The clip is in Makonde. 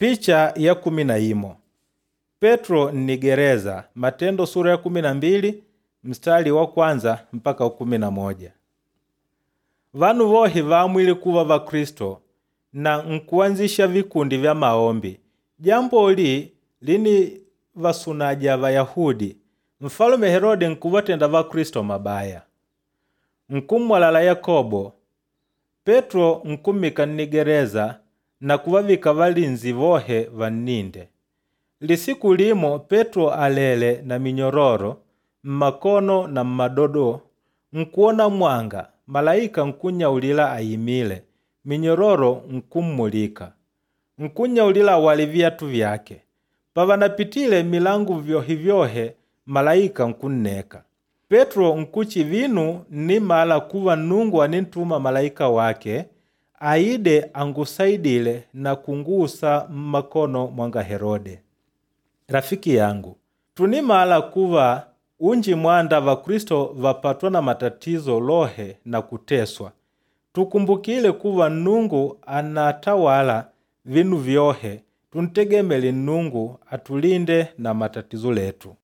Picha ya 11. Petro nnigereza Matendo sura ya 12 mstari wa kwanza mpaka wa 11. Vanu vohe vaamwile kuva Vakristo na nkuanzisha vikundi vya maombi. Jamboli lini vasunaja Vayahudi. Mfalume Herode nkuvatenda Vakristo mabaya. Nkummwalala Yakobo. Petro nkummika nnigereza na kuvavika valinzi vohe vanninde. Lisiku limo Petro alele na minyororo mmakono na mmadodo nkuona mwanga malaika nkunnyaulila ayimile, minyororo nkummulika. Nkunnyaulila awale viyatu vyake. Pavanapitile milangu vyohe-vyohe malaika nkunneka. Petro nkuchi vinu nnimala kuva Nnungu anintuma malaika wake aide angusaidile na kungusa mmakono mwanga Herode. Rafiki yangu, tunimala kuva unji mwanda Vakristo vapatwa na matatizo lohe na kuteswa. Tukumbukile kuva Nnungu anatawala vinu vyohe, tuntegemele Nnungu atulinde na matatizo letu.